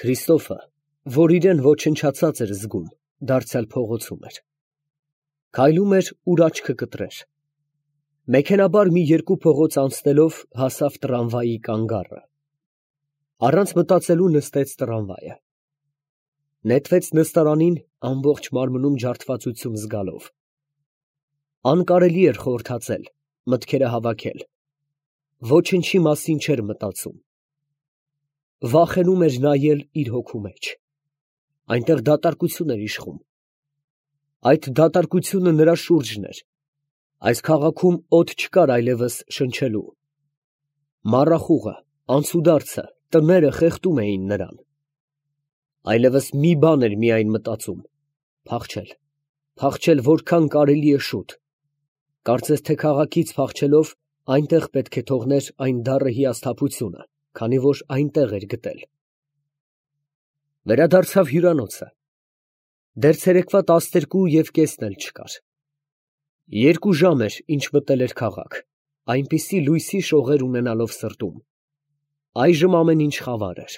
Քրիստոֆը, որ իրեն ոչնչացած էր զգում, դարձյալ փողոցում էր։ Քայլում էր, ուր աչքը կտրեր։ Մեքենաբար մի երկու փողոց անցնելով հասավ տրամվայի կանգառը։ Առանց մտածելու նստեց տրամվայը։ Նետվեց նստարանին ամբողջ մարմնում ջարդվածություն զգալով։ Անկարելի էր խորհրդածել, մտքերը հավաքել։ Ոչնչի մասին չէր մտածում։ Վախենում էր նայել իր հոգու մեջ։ Այնտեղ դատարկություն էր իշխում։ Այդ դատարկությունը նրա շուրջն էր։ Այս քաղաքում օդ չկար այլևս շնչելու։ Մառախուղը, անցուդարձը, տները խեղդում էին նրան։ Այլևս մի բան էր միայն մտածում. փախչել, փախչել որքան կարելի է շուտ։ Կարծես թե քաղաքից փախչելով այնտեղ պետք է թողներ այն դառը հիասթափությունը, քանի որ այնտեղ էր գտել։ Վերադարձավ հյուրանոցը։ Դեռ ցերեկվա 12:30 էլ չկար։ 2 ժամ էր, ինչ մտել էր քաղաք, այնպիսի լույսի շողեր ունենալով սրտում։ Այժմ ամեն ինչ խավար էր։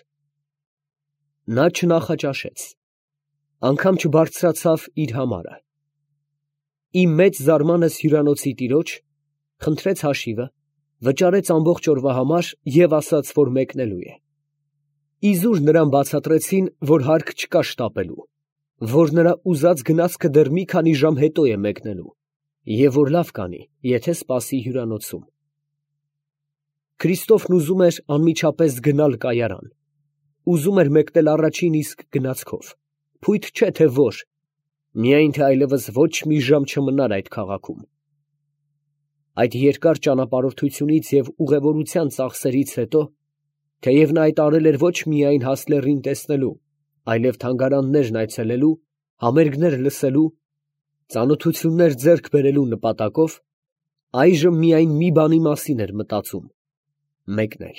Նա չնախաճաշեց, անգամ չբարձրացավ իր համարը։ Իմ մեծ զարմանս հյուրանոցի տիրոջ խնդրեց հաշիվը, վճարեց ամբողջ օրվա համար և ասաց, որ մեկնելու է։ Իզուր նրան բացատրեցին, որ հարկ չկա շտապելու, որ նրա ուզած գնացքը դեռ մի քանի ժամ հետո է մեկնելու, և որ լավ կանի, եթե սպասի հյուրանոցում։ Քրիստոֆն ուզում էր անմիջապես գնալ կայարան, ուզում էր մեկնել առաջին իսկ գնացքով, փույթ չէ թե որ, միայն թե այլևս ոչ մի ժամ չմնար այդ քաղաքում։ Այդ երկար ճանապարհորդությունից և ուղևորության ծախսերից հետո, թեև նա այդ արել էր ոչ միայն Հասլերին տեսնելու, այլև թանգարաններն այցելելու, համերգներ լսելու, ծանոթություններ ձեռք բերելու նպատակով, այժմ միայն մի բանի մասին էր մտածում. մեկնել։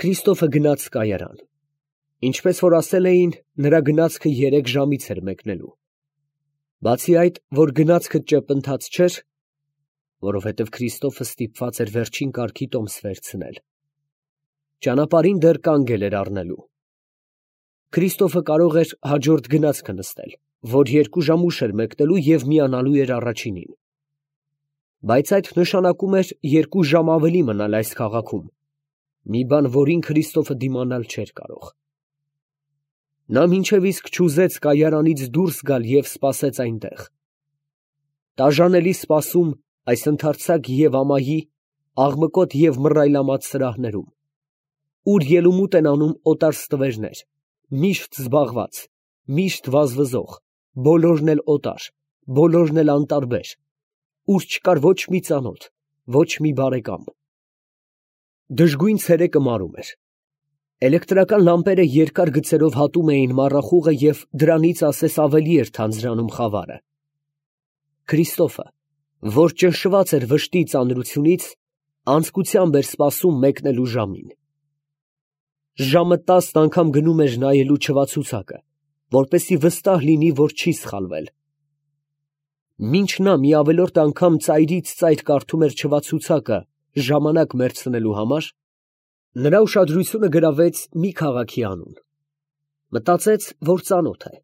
Քրիստոֆը գնաց կայարան։ Ինչպես որ ասել էին, նրա գնացքը 3 ժամից էր մեկնելու։ Բացի այդ, որ գնացքը ճեպընթաց չէր, որովհետև Քրիստոֆը ստիպված էր վերջին կարգի տոմս վերցնել, ճանապարհին դեռ կանգել էր առնելու։ Քրիստոֆը կարող էր հաջորդ գնացքը նստել, որ 2 ժամ ուշ էր մեկնելու և միանալու էր առաջինին։ Բայց այդ նշանակում էր 2 ժամ ավելի մնալ այս քաղաքում, մի բան, որին Քրիստոֆը դիմանալ չէր կարող։ Նա մինչև իսկ չուզեց կայարանից դուրս գալ և սպասեց այնտեղ։ Տաժանելի սպասում այս ընդարձակ և ամայի, աղմկոտ և մռայլամած սրահներում, ուր ելումուտ են անում օտար ստվերներ, միշտ զբաղված, միշտ վազվզող, բոլորն էլ օտար, բոլորն էլ անտարբեր, ուր չկար ոչ մի ծանոթ, ոչ մի բարեկամ։ Դժգույն ցերեկը մարում էր։ Էլեկտրական լամպերը երկար գծերով հատում էին մառախուղը և դրանից ասես ավելի էր թանձրանում խավարը։ Քրիստոֆը, որ ճնշված էր վշտի ծանրությունից, անձկությամբ էր սպասում մեկնելու ժամին։ Ժամը 10 անգամ գնում էր նայելու չվացուցակը, որպեսզի վստահ լինի, որ չի սխալվել։ Մինչ նա մի ավելորդ անգամ ծայրից ծայր կարդում էր չվացուցակը ժամանակ մերցնելու համար, նրա ուշադրությունը գրավեց մի քաղաքի անուն։ Մտածեց, որ ծանոթ է։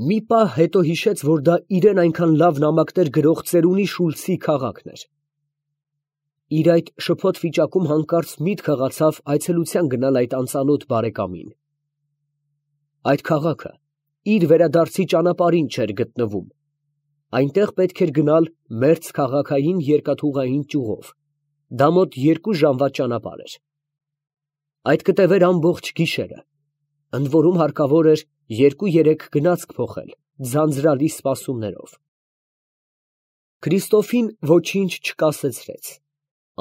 Մի պահ հետո հիշեց, որ դա իրեն այնքան լավ նամակներ գրող ծերունի Շուլցի քաղաքն էր։ Իր այդ շփոթ վիճակում հանկարծ միտք հղացավ այցելության գնալ այդ անծանոթ բարեկամին։ Այդ քաղաքը իր վերադարձի ճանապարհին չէր գտնվում։ Այնտեղ պետք էր գնալ մերձ քաղաքային երկաթուղային ճյուղով, դա մոտ 2 ժամվա ճանապարհ էր։ Այդ կտևեր ամբողջ գիշերը, ընդ որում հարկավոր էր 2-3 գնացք փոխել ձանձրալի սպասումներով։ Քրիստոֆին ոչինչ չկասեցրեց,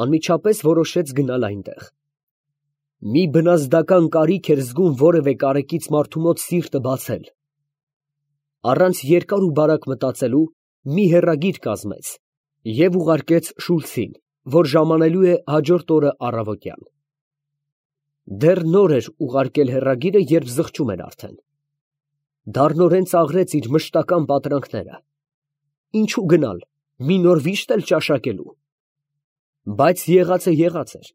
անմիջապես որոշեց գնալ այնտեղ։ Մի բնազդական կարիք էր զգում որևէ կարեկից մարդու մոտ սիրտը բացել։ Առանց երկար ու բարակ մտածելու մի հեռագիր կազմեց և ուղարկեց Շուլցին, որ ժամանելու է հաջորդ օրը առավոտյան։ Դեռ նոր էր ուղարկել հեռագիրը, երբ զղջում էր արդեն։ Դառնորեն ծաղրեց իր մշտական պատրանքները։ Ինչու գնալ, մի նոր վիշտ էլ ճաշակելու։ Բայց եղածը եղած էր։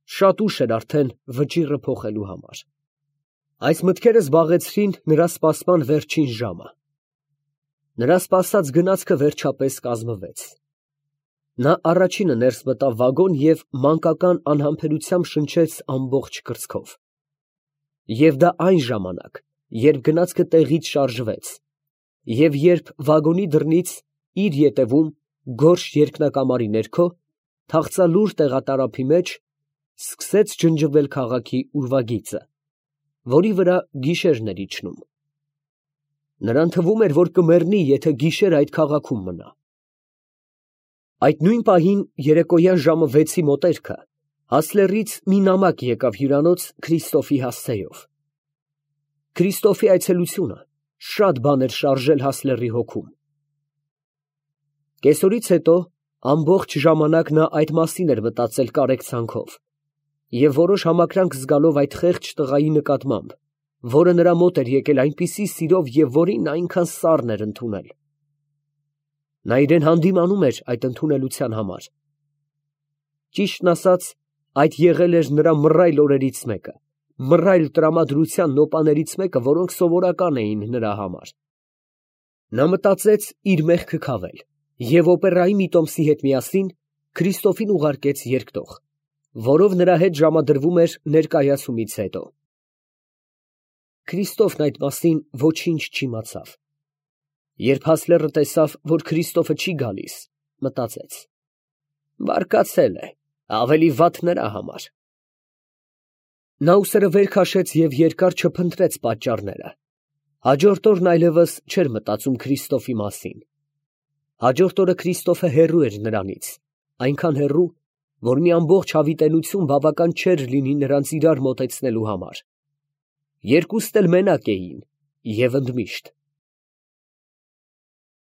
Շատ ուշ էր արդեն վճիռը փոխելու համար։ Այս մտքերը զբաղեցրին նրա սպասման վերջին ժամը։ Նրա սպասած գնացքը վերջապես կազմվեց։ Նա առաջինը ներս մտավ վագոն և մանկական անհամբերությամբ շնչեց ամբողջ կրծքով։ Եվ դա այն ժամանակ, երբ գնացքը տեղից շարժվեց, և երբ վագոնի դռնից իր ետևում, գորշ երկնակամարի ներքո, թախծալուր տեղատարափի մեջ, սկսեց ջնջվել քաղաքի ուրվագիծը, որի վրա գիշերն էր իջնում։ Նրան թվում էր, որ կմեռնի, եթե գիշեր այդ քաղաքում մնա։ Այդ նույն պահին երեկոյան ժամը 6-ի մոտերքը Հասլերից մի նամակ եկավ հյուրանոց Քրիստոֆի հասցեով։ Քրիստոֆի այցելությունը շատ բան էր շարժել Հասլերի հոգում։ Կեսօրից հետո ամբողջ ժամանակ նա այդ մասին էր մտածել կարեկցանքով և որոշ համակրանք զգալով այդ խեղճ տղայի նկատմամբ, որը նրա մոտ էր եկել այնպիսի սիրով և որին նա այնքան սառն էր ընդունել։ Նա իրան հանդիմանում էր այդ ընդունելության համար։ Ճիշտն ասած, այդ եղել էր նրա մռայլ օրերից մեկը, մռայլ տրամադրության նոպաներից մեկը, որոնք սովորական էին նրա համար։ Նա մտածեց իր մեղքը քավել և օպերայի մի տոմսի հետ միասին Քրիստոֆին ուղարկեց երկտող, որով նրա հետ ժամադրվում էր ներկայացումից հետո։ Քրիստոֆն այդ մասին ոչինչ չիմացավ։ Երբ Հասլերը տեսավ, որ Քրիստոֆը չի գալիս, մտածեց. բարկացել է, ավելի վատ նրա համար։ Նա ուսերը վեր քաշեց և երկար չփնտրեց պատճառները։ Հաջորդ օրն այլևս չէր մտածում Քրիստոֆի մասին։ Հաջորդ օրը Քրիստոֆը հեռու էր նրանից, այնքան հեռու, որ մի ամբողջ հավիտենություն բավական չէր լինի նրանց իրար մոտեցնելու համար։ Երկուստ էլ մենակ էին և ընդմիշտ։